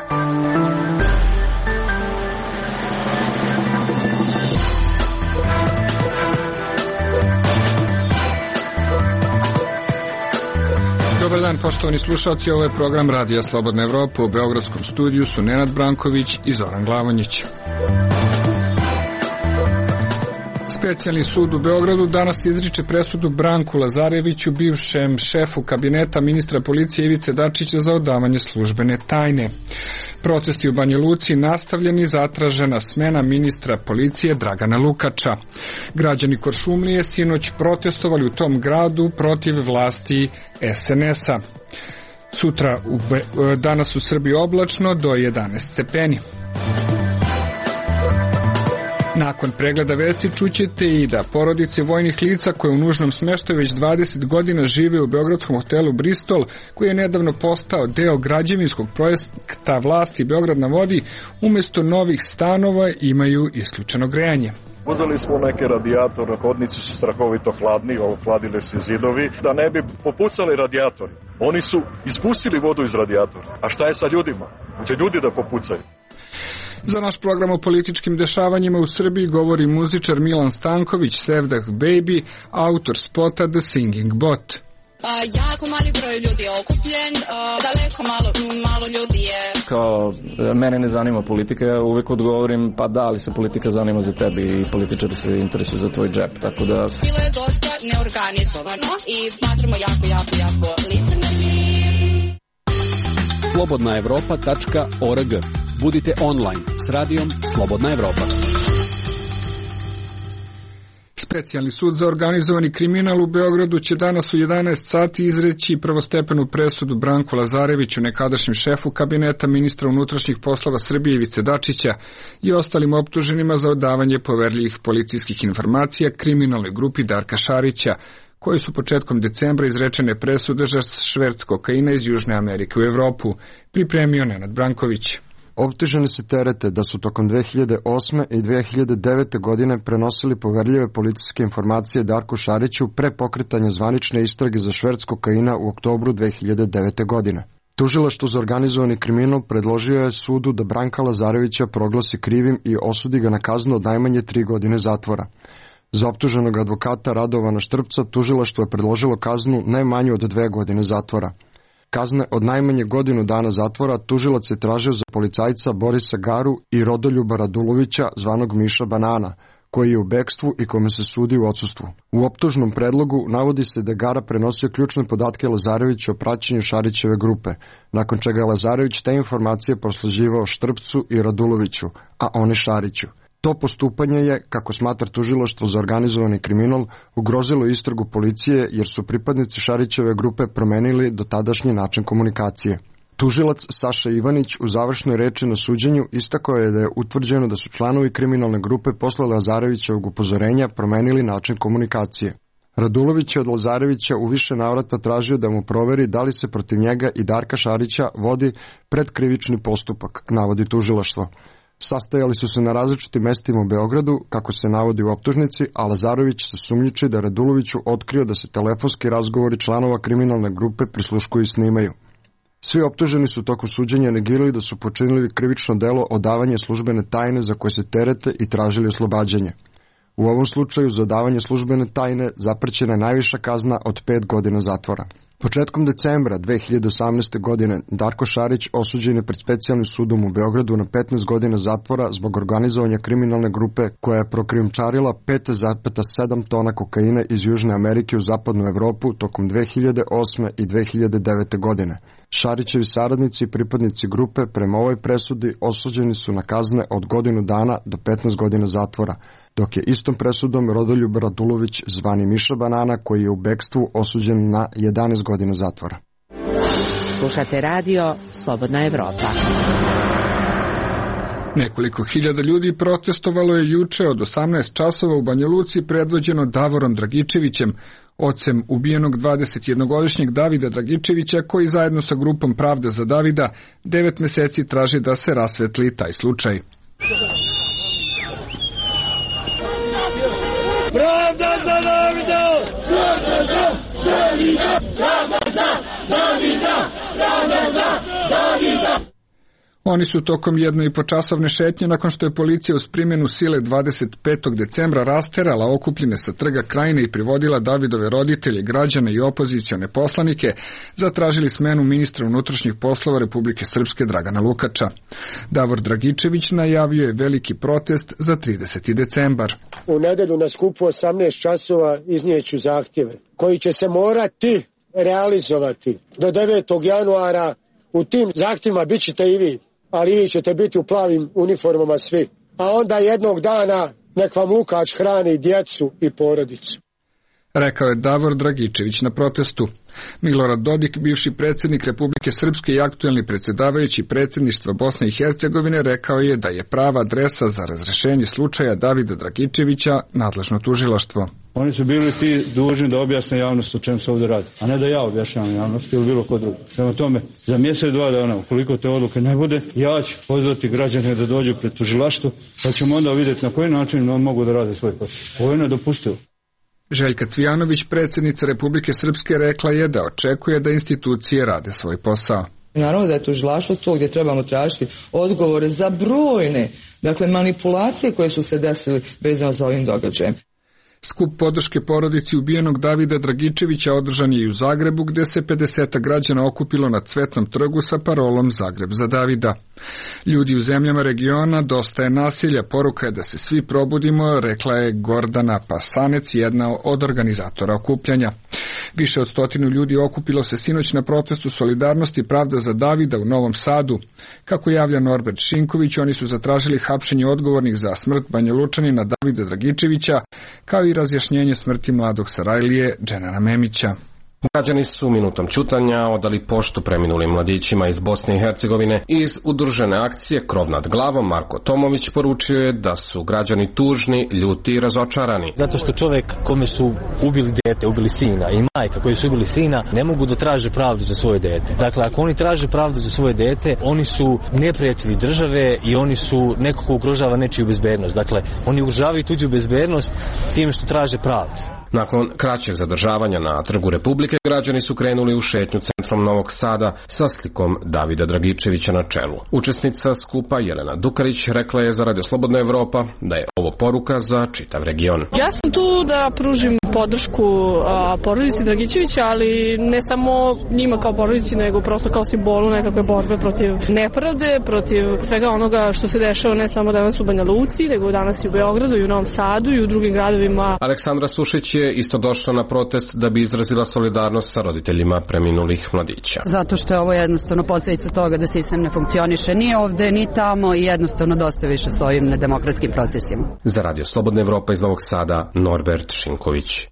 Dobar dan, poštovani slušalci, ovo je program Radija Slobodna Evropa. U beogradskom studiju su Nenad Branković i Zoran Glavonjić. Specijalni sud u Beogradu danas izriče presudu Branku Lazareviću, bivšem šefu kabineta ministra policije Ivice Dačića za odavanje službene tajne. Protesti u Banja Luci nastavljeni, zatražena smena ministra policije Dragana Lukača. Građani Kuršumlije sinoć protestovali u tom gradu protiv vlasti SNS-a. Danas u Srbiji oblačno do 11 stepeni. Nakon pregleda vesti čućete i da porodice vojnih lica koje u nužnom smeštaju već 20 godina žive u beogradskom hotelu Bristol, koji je nedavno postao deo građevinskog projekta vlasti Beograd na vodi, umjesto novih stanova imaju isključeno grejanje. Uzeli smo neke radijatore, hodnici su strahovito hladni, ohladili se zidovi, da ne bi popucali radijatori. Oni su ispustili vodu iz radijatora. A šta je sa ljudima? Će ljudi da popucaju? Za naš program o političkim dešavanjima u Srbiji govori muzičar Milan Stanković, Sevdah Baby, autor spota The Singing Bot. Jako mali broj ljudi je okupljen, daleko malo ljudi je... Kao, mene ne zanima politika, ja uvek odgovorim, pa da, ali se politika zanima za tebi i političari se interesuju za tvoj džep, tako da... Bilo je dosta neorganizovano i smatramo jako licemerni. slobodnaevropa.org. Budite online s radijom Slobodna Evropa. Specijalni sud za organizovani kriminal u Beogradu će danas u 11 sati izreći prvostepenu presudu Branku Lazareviću, nekadašnjem šefu kabineta ministra unutrašnjih poslova Srbije Ivice Dačića i ostalim optuženima za odavanje poverljivih policijskih informacija kriminalnoj grupi Darka Šarića, koji su početkom decembra izrečene presude za šverc kokaina iz Južne Amerike u Evropu. Pripremio Nenad Branković. Optuženi se terete da su tokom 2008. i 2009. godine prenosili poverljive policijske informacije Darku Šariću pre pokretanja zvanične istrage za šverc kokaina u oktobru 2009. godine. Tužilaštvo za organizovani kriminal predložio je sudu da Branka Lazarevića proglasi krivim i osudi ga na kaznu od najmanje 3 godine zatvora. Za optuženog advokata Radovana Štrpca tužilaštvo je predložilo kaznu najmanju od 2 godine zatvora. Kazne od najmanje godinu dana zatvora tužilac je tražio za policajca Borisa Garu i Rodoljuba Radulovića, zvanog Miša Banana, koji je u bekstvu i kome se sudi u odsustvu. U optužnom predlogu navodi se da je Gara prenosio ključne podatke Lazareviću o praćenju Šarićeve grupe, nakon čega je Lazarević te informacije prosleđivao Štrpcu i Raduloviću, a oni Šariću. To postupanje je, kako smatra tužilaštvo za organizovani kriminal, ugrozilo istragu policije jer su pripadnici Šarićeve grupe promenili dotadašnji način komunikacije. Tužilac Saša Ivanić u završnoj reči na suđenju istakao je da je utvrđeno da su članovi kriminalne grupe posle Lazarevićevog upozorenja promenili način komunikacije. Radulović je od Lazarevića u više navrata tražio da mu proveri da li se protiv njega i Darka Šarića vodi predkrivični postupak, navodi tužilaštvo. Sastajali su se na različitim mestima u Beogradu, kako se navodi u optužnici, a Lazarević se sumnjiči da Raduloviću otkrio da se telefonski razgovori članova kriminalne grupe prisluškuju i snimaju. Svi optuženi su tokom suđenja negirali da su počinili krivično delo odavanje službene tajne za koje se terete i tražili oslobađanje. U ovom slučaju za odavanje službene tajne zaprećena je najviša kazna od 5 godina zatvora. Početkom decembra 2018. godine Darko Šarić osuđen je pred specijalnim sudom u Beogradu na 15 godina zatvora zbog organizovanja kriminalne grupe koja je prokrijumčarila 5,7 tona kokaina iz Južne Amerike u zapadnu Evropu tokom 2008. i 2009. godine. Šarićevi saradnici i pripadnici grupe prema ovoj presudi osuđeni su na kazne od godinu dana do 15 godina zatvora, dok je istom presudom Rodoljub Radulović, zvani Miša Banana, koji je u bekstvu osuđen na 11 godina zatvora. Slušate radio Slobodna Evropa. Nekoliko hiljada ljudi protestovalo je juče od 18 časova u Banja Luci predvođeno Davorom Dragičevićem, ocem ubijenog 21-godišnjeg Davida Dragičevića, koji zajedno sa grupom Pravda za Davida 9 meseci traži da se rasvetli taj slučaj. Pravda za Davida! Pravda za Davida! Pravda za Davida! Pravda za Davida! Oni su tokom 1,5-časovne šetnje, nakon što je policija uz primjenu sile 25. decembra rasterala okupljene sa Trga Krajine i privodila Davidove roditelje, građane i opozicione poslanike, zatražili smenu ministra unutrašnjih poslova Republike Srpske Dragana Lukača. Davor Dragičević najavio je veliki protest za 30. decembar. U nedelju na skupu 18 časova iznijeću zahtjeve koji će se morati realizovati do 9. januara. U tim zahtjevima bit ćete i vi, ali vi ćete biti u plavim uniformama svi. A onda jednog dana nek vam Lukač hrani djecu i porodicu. Rekao je Davor Dragičević na protestu. Milorad Dodik, bivši predsjednik Republike Srpske i aktuelni predsjedavajući predsjedništva Bosne i Hercegovine, rekao je da je prava adresa za razrešenje slučaja Davida Dragičevića nadležno tužilaštvo. Oni su bili ti dužni da objasne javnost o čemu se ovdje radi, a ne da ja objašnjavam javnost ili bilo ko drugi. Prema tome, za mjesec, 2 dana, ukoliko te odluke ne bude, ja ću pozvati građane da dođu pred tužilaštvo, pa ćemo onda vidjeti na koji način mogu da rade svoj posao. Ovo je nedopustivo. Željka Cvijanović, predsjednica Republike Srpske, rekla je da očekuje da institucije rade svoj posao. Naravno da je tužilaštvo to gdje trebamo tražiti odgovore za brojne, manipulacije koje su se desile vezano za ovim događajem. Skup podrške porodici ubijenog Davida Dragičevića održan je i u Zagrebu, gdje se 50 građana okupilo na Cvetnom trgu sa parolom Zagreb za Davida. Ljudi u zemljama regiona, dosta je nasilja, poruka je da se svi probudimo, rekla je Gordana Pasanec, jedna od organizatora okupljanja. Više od 100 ljudi okupilo se sinoć na protestu Solidarnosti Pravda za Davida u Novom Sadu. Kako javlja Norbert Šinković, oni su zatražili hapšenje odgovornih za smrt Banjalučanina Davida Dragičevića, kao i razjašnjenje smrti mladog Sarajlije Dženana Memića. Građani su minutom ćutanja odali poštu preminulim mladićima iz Bosne i Hercegovine. Iz udružene akcije Krov nad glavom Marko Tomović poručio je da su građani tužni, ljuti i razočarani. Zato što čovjek kome su ubili dete, ubili sina i majka koji su ubili sina ne mogu da traže pravdu za svoje dete. Dakle, ako oni traže pravdu za svoje dete, oni su neprijatelji države i oni su neko ko ugrožava nečiju bezbednost. Dakle, oni ugrožavaju tuđu bezbednost time što traže pravdu. Nakon kraćeg zadržavanja na Trgu Republike, građani su krenuli u šetnju centrom Novog Sada sa slikom Davida Dragičevića na čelu. Učesnica skupa Jelena Dukarić rekla je za Radio Slobodna Evropa da je ovo poruka za čitav region. Ja sam tu da pružim podršku porodici Dragičevića, ali ne samo njima kao porodici, nego prosto kao simbolu nekakve borbe protiv nepravde, protiv svega onoga što se dešava ne samo danas u Banja Luci, nego danas i u Beogradu i u Novom Sadu i u drugim gradovima. Aleksandra Sušić je isto došla na protest da bi izrazila solidarnost sa roditeljima preminulih mladića. Zato što je ovo jednostavno posljedica toga da sistem ne funkcioniše ni ovde ni tamo i jednostavno dosta više s ovim nedemokratskim procesima. Za Radio Slobodna Evropa iz Novog Sada, Norbert Šinković.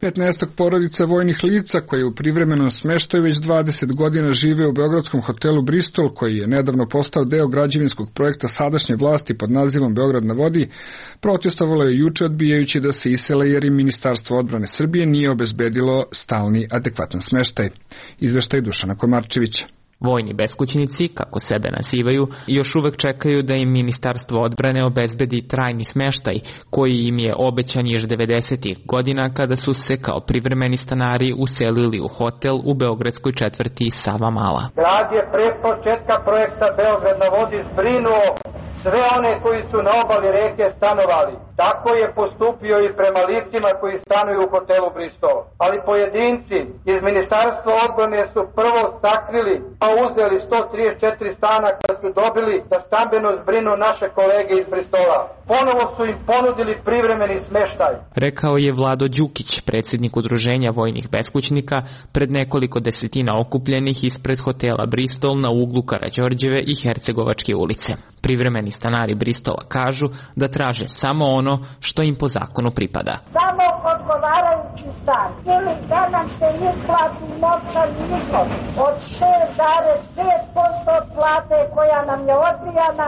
15 porodica vojnih lica koje u privremenom smeštaju već 20 godina žive u beogradskom hotelu Bristol, koji je nedavno postao deo građevinskog projekta sadašnje vlasti pod nazivom Beograd na vodi, protestovalo je juče odbijajući da se isele jer im Ministarstvo odbrane Srbije nije obezbedilo stalni adekvatan smeštaj. Izveštaj Dušana Komarčevića. Vojni beskućnici, kako sebe nazivaju, još uvek čekaju da im Ministarstvo odbrane obezbedi trajni smeštaj, koji im je obećan još 90. godina kada su se kao privremeni stanari uselili u hotel u beogradskoj četvrti Sava Mala. Grad je pre početka projekta Beograd na vodi zbrinuo sve one koji su na obali reke stanovali. Tako je postupio i prema licima koji stanuju u hotelu Bristol. Ali pojedinci iz Ministarstva odbrane su prvo sakrili, a uzeli 134 stana kada su dobili da stambeno zbrinu naše kolege iz Bristola. Ponovo su im ponudili privremeni smeštaj. Rekao je Vlado Đukić, predsjednik udruženja vojnih beskućnika, pred nekoliko desetina okupljenih ispred hotela Bristol na uglu Karađorđeve i Hercegovačke ulice. Privremeni stanari Bristola kažu da traže samo ono što im po zakonu pripada. Samo odgovarajući stan ili da nam se isplati novčani iznos od 6,5% plate koja nam je odbijana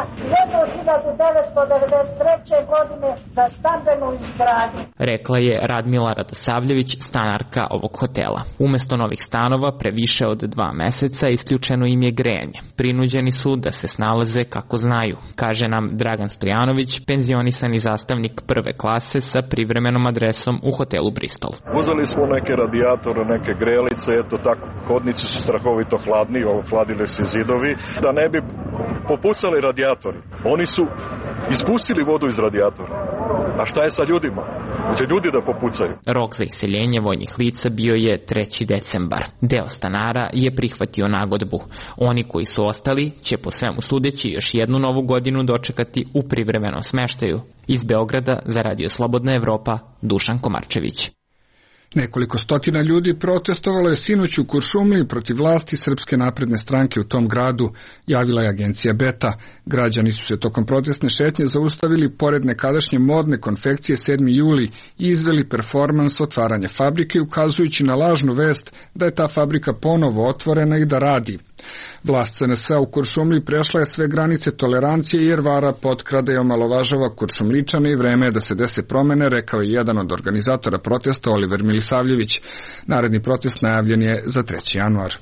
1993. godine za stambenu izgradnju. Rekla je Radmila Radosavljević, stanarka ovog hotela. Umesto novih stanova pre više od 2 meseca isključeno im je grejanje. Prinuđeni su da se snalaze kako znaju, kaže nam Dragan Stojanović, penzionisani zastavnik vojnik prve klase sa privremenom adresom u hotelu Bristol. Uzeli smo neke radijatore, neke grelice, eto tako, hodnici su strahovito hladni, ohladile se zidovi, da ne bi popucali radijatori. Oni su ispustili vodu iz radijatora. A šta je sa ljudima? Će ljudi da popucaju. Rok za iseljenje vojnih lica bio je 3. decembar. Deo stanara je prihvatio nagodbu. Oni koji su ostali će po svemu sudeći još jednu novu godinu dočekati u privremenom smeštaju. Iz Beograda za Radio Slobodna Evropa, Dušan Komarčević. Nekoliko stotina ljudi protestovalo je sinoć u Kuršumliji protiv vlasti Srpske napredne stranke u tom gradu, javila je agencija Beta. Građani su se tokom protestne šetnje zaustavili pored nekadašnje modne konfekcije 7. juli i izveli performans otvaranja fabrike, ukazujući na lažnu vest da je ta fabrika ponovo otvorena i da radi. Vlast SNS u Kuršumliji prešla je sve granice tolerancije jer vara, potkrada i omalovažava Kuršumličane i vreme je da se dese promene, rekao je jedan od organizatora protesta Oliver Milisavljević. Naredni protest najavljen je za 3. januar.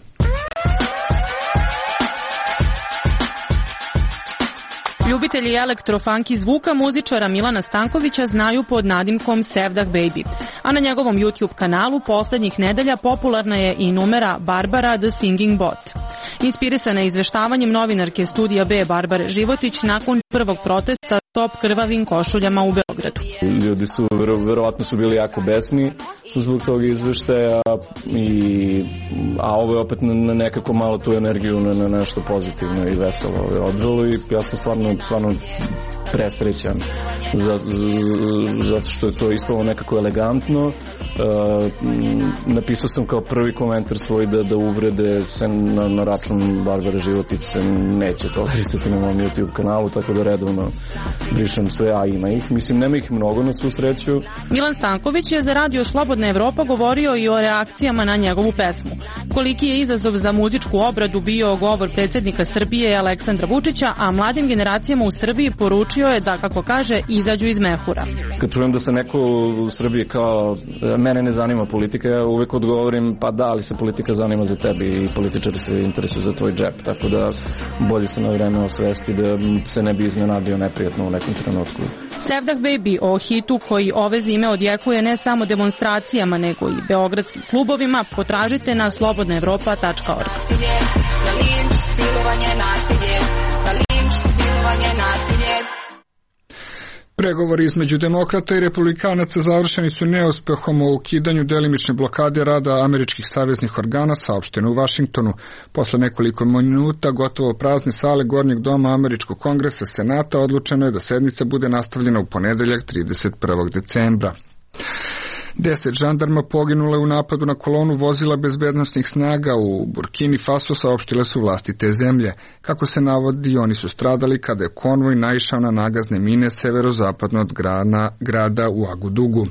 Ljubitelji elektrofunky zvuka muzičara Milana Stankovića znaju pod nadimkom Sevdah Baby, a na njegovom YouTube kanalu poslednjih nedelja popularna je i numera Barbara The Singing Bot. Inspirisana izveštavanjem novinarke Studija B Barbare Životić nakon prvog protesta top krvavim košuljama u Beogradu. Ljudi su, verovatno su bili jako besni zbog tog izveštaja, a ovo je opet na nekako malo tu energiju na nešto pozitivno i veselo odvelo i ja sam stvarno presrećan zato što je to ispalo nekako elegantno. Napisao sam kao prvi komentar svoj da uvrede se na račun Barbare Životić se neće tolerisati na mom YouTube kanalu, tako da redovno brišem sve, a ima ih. Mislim, nema ih mnogo na svu sreću. Milan Stanković je za Radio Slobodna Evropa govorio i o reakcijama na njegovu pesmu. Koliki je izazov za muzičku obradu bio govor predsjednika Srbije Aleksandra Vučića, a mladim generacijama u Srbiji poručio je da, kako kaže, izađu iz mehura. Kad čujem da se neko u Srbiji kao mene ne zanima politika, ja uvek odgovorim pa da, ali se politika zanima za tebe i političari se interesuju za tvoj džep, tako da bolje se na vreme osvesti da se ne bi iznenadio neprijatno u nekom trenutku. Sevdah Baby o hitu koji ove zime odjekuje ne samo demonstracijama nego i beogradskim klubovima potražite na slobodnaevropa.org. Pregovori između demokrata i republikanaca završeni su neuspehom o ukidanju delimične blokade rada američkih saveznih organa, saopšteno u Vašingtonu. Posle nekoliko minuta gotovo prazne sale Gornjeg doma Američkog kongresa Senata odlučeno je da sednica bude nastavljena u ponedeljak 31. decembra. 10 žandarma poginule u napadu na kolonu vozila bezbednosnih snaga u Burkini Faso, saopštile su vlasti te zemlje. Kako se navodi, oni su stradali kada je konvoj naišao na nagazne mine severozapadno od grada u Agudugu.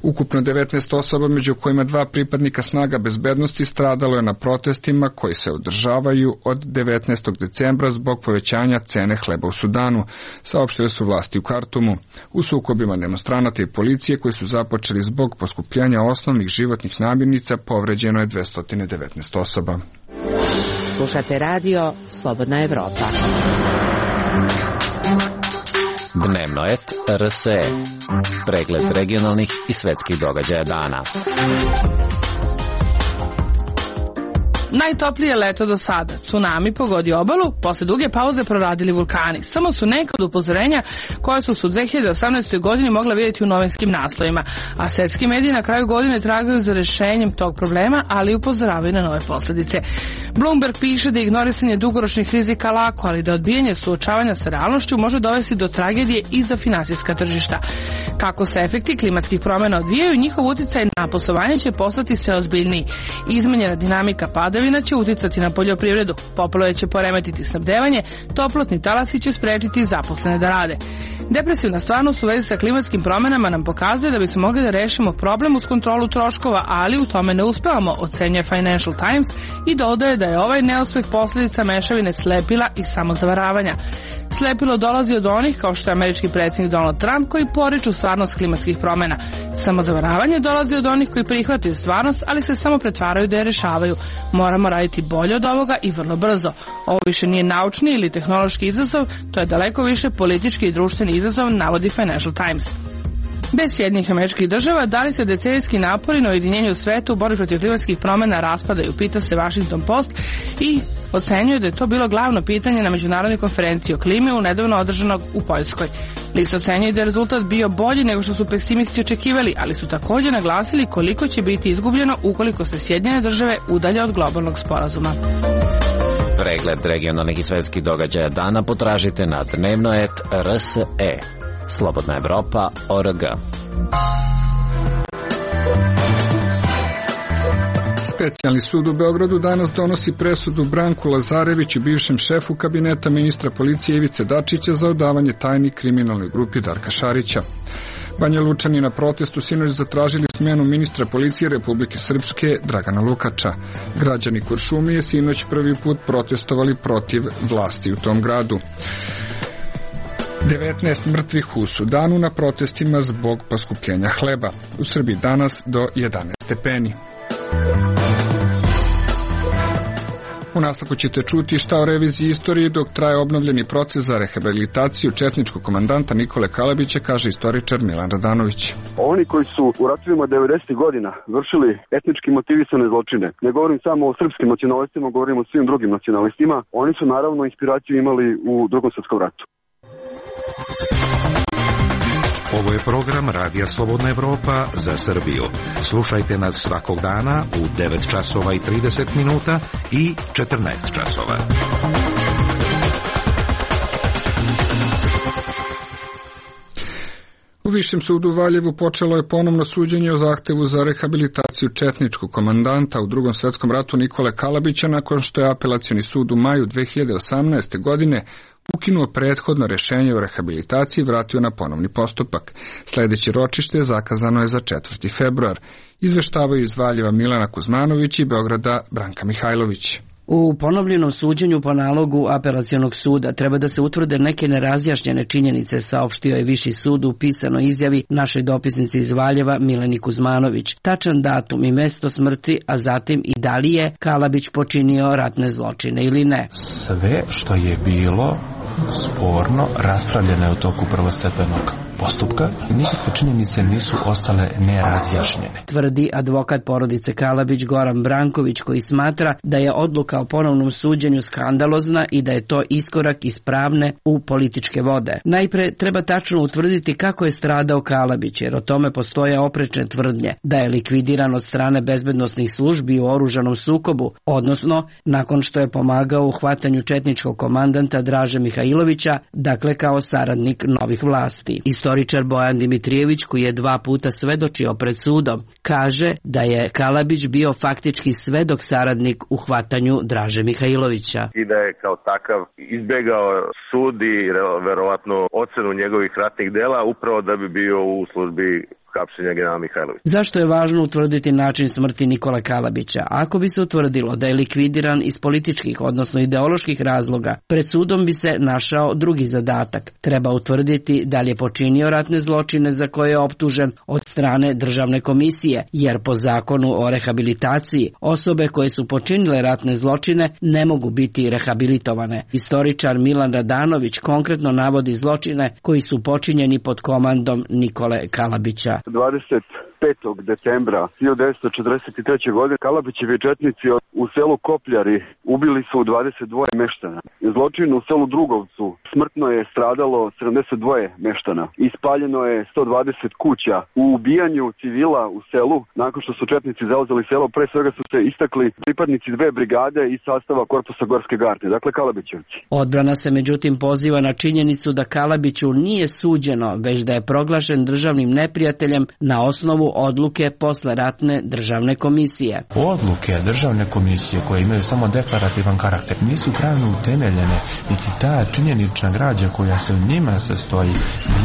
Ukupno 19 osoba, među kojima 2 pripadnika snaga bezbednosti, stradalo je na protestima koji se održavaju od 19. decembra zbog povećanja cene hleba u Sudanu, saopštile su vlasti u Kartumu. U sukobima demonstranata i policije koji su započeli zbog poskupljanja osnovnih životnih namirnica povređeno je 219 osoba. Slušate radio Slobodna Evropa. Dnevnoet RSE. Pregled regionalnih i svetskih događaja dana. Najtoplije leto do sada. Tsunami pogodio obalu, posle duge pauze proradili vulkani. Samo su neka od upozorenja koje su u 2018. godini mogla vidjeti u novinskim naslovima. A svetski mediji na kraju godine tragaju za rešenjem tog problema, ali upozoravaju na nove posljedice. Bloomberg piše da ignorisanje dugoročnih rizika lako, ali da odbijanje suočavanja sa realnošću može dovesti do tragedije i za finansijska tržišta. Kako se efekti klimatskih promjena odvijaju, njihov uticaj na poslovanje će postati sve ozbiljniji. Izmenjena dinamika padavina će uticati na poljoprivredu, poplave će poremetiti snabdevanje, toplotni talasi će sprečiti zaposlene da rade. Depresivna stvarnost u vezi sa klimatskim promjenama nam pokazuje da bismo mogli da rešimo problem uz kontrolu troškova, ali u tome ne uspevamo, ocenjuje Financial Times i dodaje da je ovaj neuspeh posljedica mešavine slepila i samozavaravanja. Slepilo dolazi od onih kao što je američki predsjednik Donald Trump koji poriču stvarnost klimatskih promjena. Samozavaravanje dolazi od onih koji prihvataju stvarnost, ali se samo pretvaraju da je rešavaju. Moramo raditi bolje od ovoga i vrlo brzo. Ovo više nije naučni ili tehnološki izazov, to je daleko više politički i društveni izazov, navodi Financial Times. Bez Sjedinjenih Američkih Država, da li se decenijski napori na ujedinjenju u svetu u borbi protiv klimatskih promena raspadaju, pita se Washington Post i ocenjuje da je to bilo glavno pitanje na međunarodnoj konferenciji o klimi u nedavno održanog u Poljskoj. List ocenjuje da je rezultat bio bolji nego što su pesimisti očekivali, ali su također naglasili koliko će biti izgubljeno ukoliko se Sjedinjene Države udalje od globalnog sporazuma. Pregled regionalnih i svetskih događaja dana potražite na dnevnoet.rse. Slobodna Evropa.org. Specijalni sud u Beogradu danas donosi presudu Branku Lazareviću, bivšem šefu kabineta ministra policije Ivice Dačića za odavanje tajni kriminalnoj grupi Darka Šarića. Banja Lučani na protestu sinoć zatražili smjenu ministra policije Republike Srpske Dragana Lukača. Građani Kuršumlije sinoć prvi put protestovali protiv vlasti u tom gradu. 19 mrtvih u Sudanu na protestima zbog poskupljenja hleba. U Srbiji danas do 11 stepeni. U nastavku ćete čuti šta o reviziji istoriji dok traje obnovljeni proces za rehabilitaciju četničkog komandanta Nikole Kalabića, kaže istoričar Milan Radanović. Oni koji su u ratovima 90. godina vršili etnički motivisane zločine, ne govorim samo o srpskim nacionalistima, govorim o svim drugim nacionalistima, oni su naravno inspiraciju imali u Drugom svjetskom ratu. Ovo je program Radija Slobodna Evropa za Srbiju. Slušajte nas svakog dana u 9 časova i 30 minuta i 14 časova. U Višem sudu u Valjevu počelo je ponovno suđenje o zahtevu za rehabilitaciju četničkog komandanta u Drugom svjetskom ratu Nikole Kalabića nakon što je apelacioni sud u maju 2018. godine ukinuo prethodno rješenje o rehabilitaciji i vratio na ponovni postupak. Sljedeće ročište zakazano je za 4. februar. Izveštavaju iz Valjeva Milana Kuzmanović i Beograda Branka Mihajlović. U ponovljenom suđenju po nalogu apelacionog suda treba da se utvrde neke nerazjašnjene činjenice, saopštio je Viši sud u pisanoj izjavi našoj dopisnici iz Valjeva Mileni Kuzmanović. Tačan datum i mesto smrti, a zatim i da li je Kalabić počinio ratne zločine ili ne. Sve što je bilo sporno raspravljeno je u toku prvostepenog postupka. Nikakve činjenice nisu ostale nerazjašnjene, tvrdi advokat porodice Kalabić Goran Branković, koji smatra da je odluka o ponovnom suđenju skandalozna i da je to iskorak iz pravne u političke vode. Najpre treba tačno utvrditi kako je stradao Kalabić, jer o tome postoje oprečne tvrdnje da je likvidiran od strane bezbednosnih službi u oružanom sukobu, odnosno nakon što je pomagao u hvatanju četničkog komandanta Draže Mihajlovića, dakle kao saradnik novih vlasti. Istoričar Bojan Dimitrijević, koji je 2 puta svedočio pred sudom, kaže da je Kalabić bio faktički svedok saradnik u hvatanju Draže Mihajlovića. I da je kao takav izbjegao sud i verovatno ocenu njegovih ratnih dela upravo da bi bio u službi hapšenja generala Mihajlovića. Zašto je važno utvrditi način smrti Nikole Kalabića? Ako bi se utvrdilo da je likvidiran iz političkih, odnosno ideoloških razloga, pred sudom bi se našao drugi zadatak. Treba utvrditi da li je počinio ratne zločine za koje je optužen od strane državne komisije, jer po zakonu o rehabilitaciji osobe koje su počinile ratne zločine ne mogu biti rehabilitovane. Istoričar Milan Radanović konkretno navodi zločine koji su počinjeni pod komandom Nikole Kalabića. 25. decembra 1943. godine Kalabićevi četnici u selu Kopljari ubili su 22 meštana. Zločin u selu Drugovcu smrtno je stradalo 72 meštana. Ispaljeno je 120 kuća. U ubijanju civila u selu, nakon što su četnici zauzeli selo, pre svega su se istakli pripadnici 2 brigade iz sastava korpusa Gorske garde, dakle Kalabićevci. Odbrana se međutim poziva na činjenicu da Kalabiću nije suđeno, već da je proglašen državnim neprijateljem na osnovu odluke posleratne državne komisije. Odluke državne komisije koje imaju samo deklarativan karakter nisu pravno utemeljene, niti ta činjenična građa koja se u njima sastoji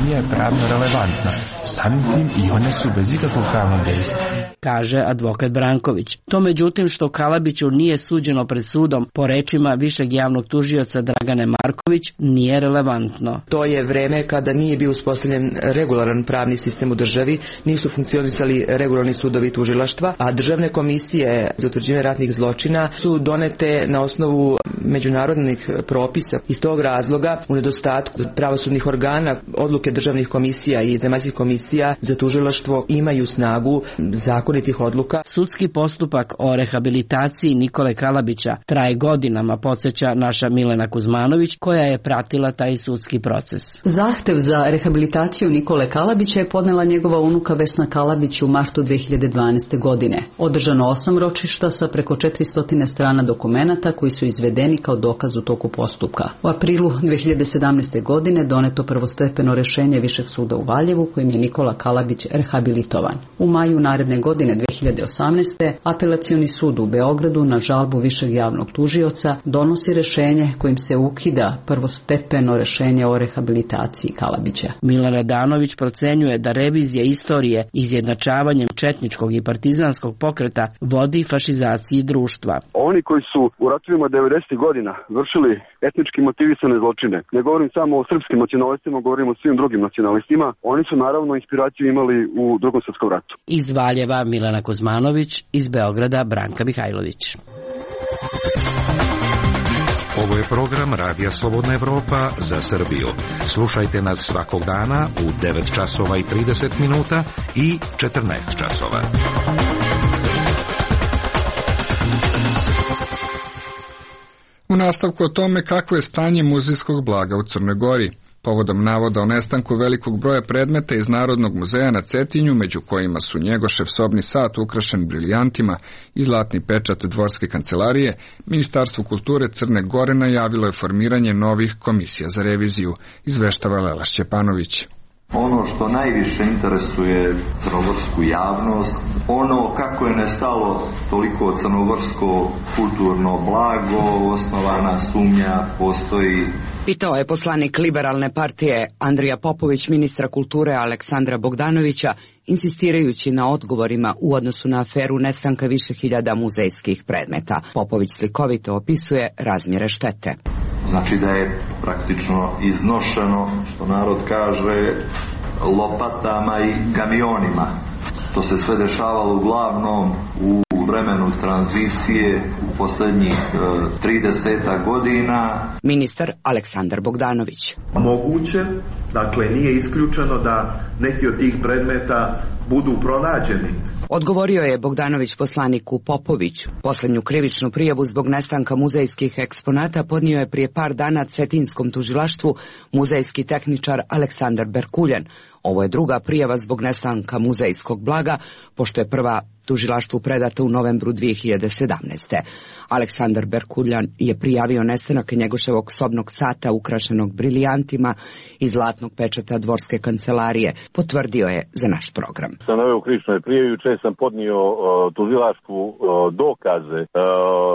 nije pravno relevantna. Samim tim i one su bez ikakvog pravnog dejstva, kaže advokat Branković. To međutim što Kalabiću nije suđeno pred sudom, po rečima višeg javnog tužioca Dragane Marković, nije relevantno. To je vreme kada nije bio uspostavljen regularan pravni sistem u državi, nisu funkcionisali regularni sudovi tužilaštva, a državne komisije za utvrđivanje ratnih zločina su donete na osnovu međunarodnih propisa. Iz tog razloga, u nedostatku pravosudnih organa, odluke državnih komisija i zemaljskih komisija za tužilaštvo imaju snagu zakonitih odluka. Sudski postupak o rehabilitaciji Nikole Kalabića traje godinama, podsjeća naša Milena Kuzmanović, koja je pratila taj sudski proces. Zahtev za rehabilitaciju Nikole Kalabića je podnela njegova unuka Vesna Kalabić u martu 2012. godine. Održano 8 ročišta sa preko 400 strana dokumenata koji su izvedeni kao dokaz u toku postupka. U aprilu 2017. godine doneto prvostepeno rešenje Višeg suda u Valjevu kojim je Nikola Kalabić rehabilitovan. U maju naredne godine 2018. Apelacioni sud u Beogradu na žalbu Višeg javnog tužioca donosi rešenje kojim se ukida prvostepeno rešenje o rehabilitaciji Kalabića. Milan Radanović procenjuje da revizija istorije izjednačavanjem četničkog i partizanskog pokreta vodi fašizaciji društva. Oni koji su u ratovima 90. godina vršili etnički motivisane zločine, ne govorim samo o srpskim nacionalistima, govorim o svim drugim nacionalistima, oni su naravno inspiraciju imali u Drugom svjetskom ratu. Iz Valjeva Milana Kuzmanović, iz Beograda Branka Mihajlović. Ovo je program Radija Slobodna Evropa za Srbiju. Slušajte nas svakog dana u 9 časova i 30 minuta i 14 časova. U nastavku o tome kakvo je stanje muzejskog blaga u Crnoj Gori. Povodom navoda o nestanku velikog broja predmeta iz Narodnog muzeja na Cetinju, među kojima su Njegošev sobni sat ukrašen briljantima i zlatni pečat dvorske kancelarije, Ministarstvo kulture Crne Gore najavilo je formiranje novih komisija za reviziju, izveštava Lela Šćepanović. Ono što najviše interesuje crnogorsku javnost, ono kako je nestalo toliko crnogorsko kulturno blago, osnovana sumnja postoji. Pitao je poslanik Liberalne partije Andrija Popović ministra kulture Aleksandra Bogdanovića, insistirajući na odgovorima u odnosu na aferu nestanka više hiljada muzejskih predmeta. Popović slikovito opisuje razmjere štete. Znači da je praktično iznošeno, što narod kaže, lopatama i kamionima. To se sve dešavalo uglavnom u vremenu tranzicije u posljednjih 30 godina. Ministar Aleksandar Bogdanović. Moguće, dakle nije isključeno da neki od tih predmeta budu pronađeni. Odgovorio je Bogdanović poslaniku Popoviću. Poslednju krivičnu prijavu zbog nestanka muzejskih eksponata podnio je prije par dana Cetinskom tužilaštvu muzejski tehničar Aleksandar Berkuljan. Ovo je druga prijava zbog nestanka muzejskog blaga, pošto je prva tužilaštvu predata u novembru 2017. Aleksandar Berkuljan je prijavio nestanak Njegoševog sobnog sata ukrašenog briljantima i zlatnog pečata dvorske kancelarije. Potvrdio je za naš program. Sam naveo u krivičnoj prijavi, juče sam podnio tužilaštvu dokaze,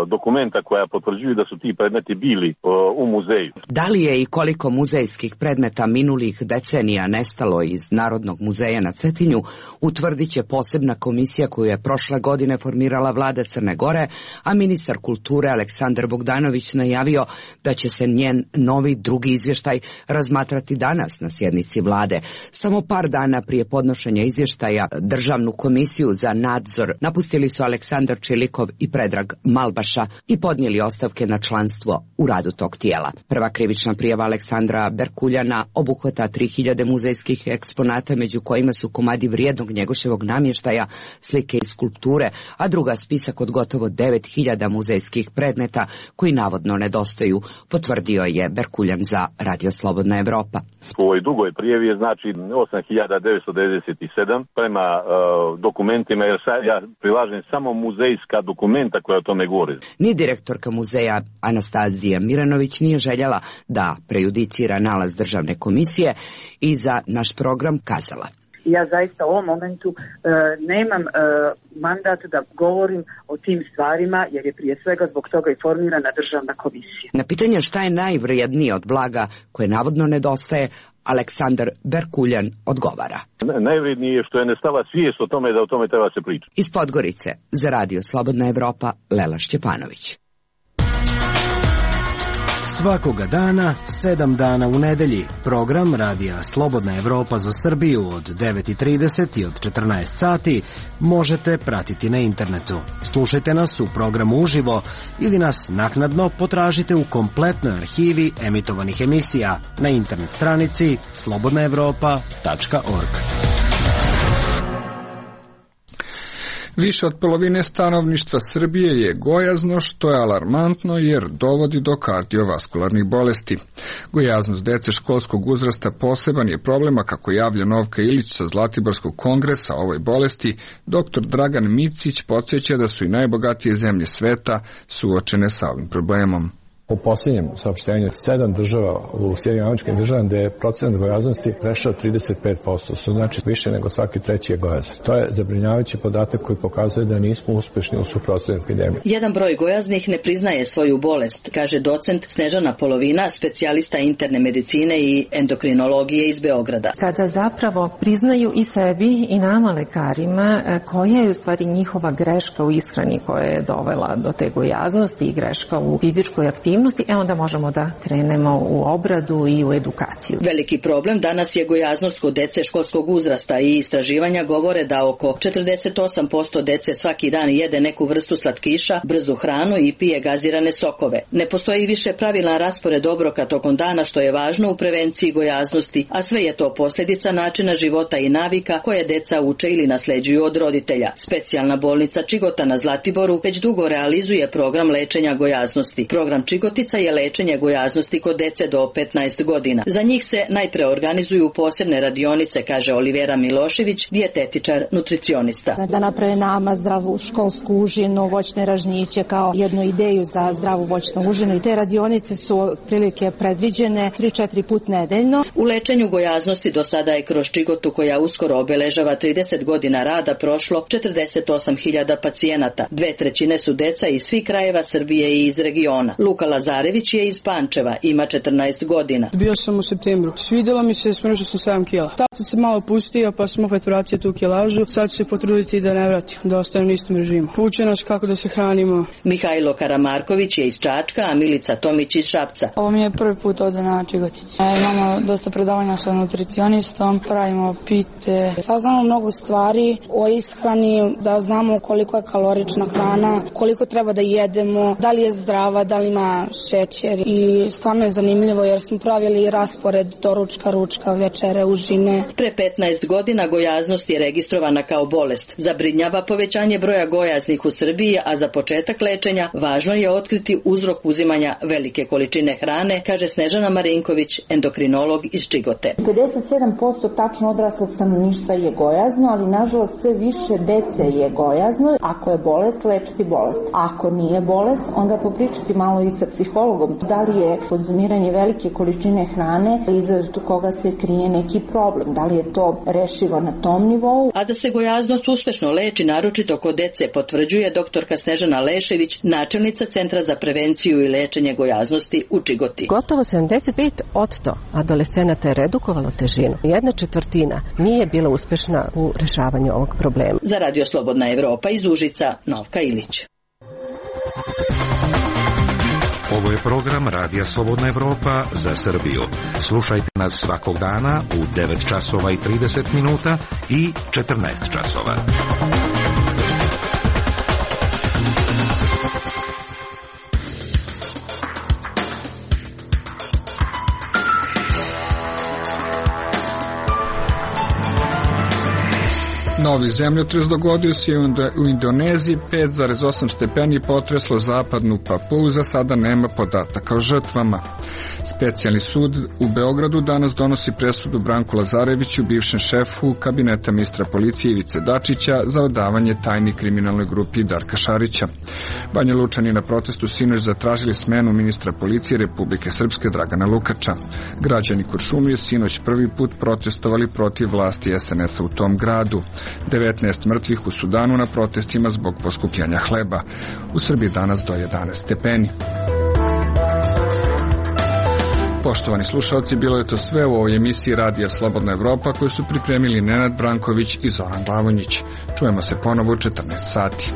dokumenta koja potvrđuju da su ti predmeti bili u muzeju. Da li je i koliko muzejskih predmeta minulih decenija nestalo iz Narodnog muzeja na Cetinju, utvrdit će posebna komisija koju je prošle godine formirala vlada Crne Gore, a ministar kulture Aleksandar Bogdanović najavio da će se njen novi drugi izvještaj razmatrati danas na sjednici vlade. Samo par dana prije podnošenja izvještaja Državnu komisiju za nadzor napustili su Aleksandar Čilikov i Predrag Malbaša i podnijeli ostavke na članstvo u radu tog tijela. Prva krivična prijava Aleksandra Berkuljana obuhvata 3000 muzejskih eksponata, među kojima su komadi vrijednog Njegoševog namještaja, slike i skulpture, a druga spisak od gotovo 9000 muzejskih predmeta koji navodno nedostaju, potvrdio je Berkuljan za Radio Slobodna Evropa. U ovoj dugoj prijavi je znači 8997 prema dokumentima, jer ja prilažem samo muzejska dokumenta koja o tome govore. Ni direktorka muzeja Anastazija Miranović nije željela da prejudicira nalaz Državne komisije i za naš program kazala. i ja zaista u ovom momentu nemam mandat da govorim o tim stvarima, jer je prije svega zbog toga i formirana državna komisija. Na pitanje šta je najvrijednije od blaga koje navodno nedostaje, Aleksandar Berkuljan odgovara. Najvrednije je što je nestala svijest o tome da o tome treba se pričati. Iz Podgorice, za Radio Slobodna Evropa, Lela Šćepanović. Svakoga dana, 7 dana u nedelji, program Radija Slobodna Evropa za Srbiju od 9:30 i od 14 sati možete pratiti na internetu. Slušajte nas u programu uživo ili nas naknadno potražite u kompletnoj arhivi emitovanih emisija na internet stranici slobodnaevropa.org. Više od polovine stanovništva Srbije je gojazno, što je alarmantno jer dovodi do kardiovaskularnih bolesti. Gojaznost dece školskog uzrasta poseban je problema, kako javlja Novka Ilić sa Zlatiborskog kongresa o ovoj bolesti. Dr. Dragan Micić podsjeća da su i najbogatije zemlje sveta suočene sa ovim problemom. Po posljednjem saopštenju 7 država u Sjedinjenim Američkim Državama gde je procenat gojaznosti prešao 35%, što znači više nego svaki treći je gojazan. To je zabrinjavajući podatak koji pokazuje da nismo uspešni u suprotstavljanju epidemije. Jedan broj gojaznih ne priznaje svoju bolest, kaže docent Snežana Polovina, specijalista interne medicine i endokrinologije iz Beograda. Kada zapravo priznaju i sebi i nama lekarima koja je u stvari njihova greška u ishrani koja je dovela do te gojaznosti i greška u fizičkoj aktivnosti, onda možemo da krenemo u obradu i u edukaciju. Veliki problem danas je gojaznost kod dece školskog uzrasta i istraživanja govore da oko 48% dece svaki dan jede neku vrstu slatkiša, brzu hranu i pije gazirane sokove. Ne postoji više pravilan raspored obroka tokom dana, što je važno u prevenciji gojaznosti, a sve je to posljedica načina života i navika koje deca uče ili nasleđuju od roditelja. Specijalna bolnica Čigota na Zlatiboru već dugo realizuje program lečenja gojaznosti. Program Čigotica je lečenje gojaznosti kod dece do 15 godina. Za njih se najpre organizuju posebne radionice, kaže Olivera Milošević, dijetetičar, nutricionista. Da naprave nama zdravu školsku užinu, voćne ražnjiće kao jednu ideju za zdravu voćnu užinu, i te radionice su prilike predviđene 3-4 put nedeljno. U lečenju gojaznosti do sada je kroz Čigotu, koja uskoro obeležava 30 godina rada, prošlo 48.000 pacijenata. 2/3 su deca iz svih krajeva Srbije i iz regiona. Luka Lazarević je iz Pančeva, ima 14 godina. Bio sam u septembru. Svidjelo mi se, smršao sam 7 kila. Tad sam se malo pustio, pa sam opet vratio tu kilažu. Sad ću se potruditi da ne vratim, da ostanem na istom režimu. Uče nas kako da se hranimo. Mihajlo Karamarković je iz Čačka, a Milica Tomić iz Šapca. Ovo mi je prvi put ovdje na Čigotić. Imamo dosta predavanja sa nutricionistom, pravimo pite. Saznamo mnogo stvari o ishrani, da znamo koliko je kalorična hrana, koliko treba da jedemo, da li je zdrava, da li ima šećer, i stvarno je zanimljivo jer smo pravili raspored doručka, ručka, večere, užine. Pre 15 godina gojaznost je registrovana kao bolest. Zabrinjava povećanje broja gojaznih u Srbiji, a za početak lečenja važno je otkriti uzrok uzimanja velike količine hrane, kaže Snežana Marinković, endokrinolog iz Čigote. 57% tačno odraslog stanovništva je gojazno, ali nažalost sve više dece je gojazno. Ako je bolest, lečiti bolest. Ako nije bolest, onda popričati malo i sa psihologom. Da li je konzumiranje velike količine hrane iza koga se krije neki problem? Da li je to rešivo na tom nivou? A da se gojaznost uspešno leči, naročito kod dece, potvrđuje doktorka Snežana Lešević, načelnica Centra za prevenciju i lečenje gojaznosti u Čigoti. Gotovo 75% adolescenata je redukovalo težinu. 1/4 nije bila uspešna u rešavanju ovog problema. Za Radio Slobodna Evropa iz Užica, Novka Ilić. Ovo je program Radija Slobodna Evropa za Srbiju. Slušajte nas svakog dana u 9 časova i 30 minuta i 14 časova. Novi zemljotres dogodio se u Indoneziji, 5,8 stepeni potreslo zapadnu Papuu, za sada nema podataka o žrtvama. Specijalni sud u Beogradu danas donosi presudu Branku Lazareviću, bivšem šefu kabineta ministra policije Ivice Dačića, za odavanje tajni kriminalnoj grupi Darka Šarića. Banja Lučani na protestu sinoć zatražili smenu ministra policije Republike Srpske Dragana Lukača. Građani Kuršumlije sinoć prvi put protestovali protiv vlasti SNS-a u tom gradu. 19 mrtvih u Sudanu na protestima zbog poskupljanja hleba. U Srbiji danas do 11 stepeni. Poštovani slušalci, bilo je to sve u ovoj emisiji Radija Slobodna Evropa koju su pripremili Nenad Branković i Zoran Glavonjić. Čujemo se ponovo u 14 sati.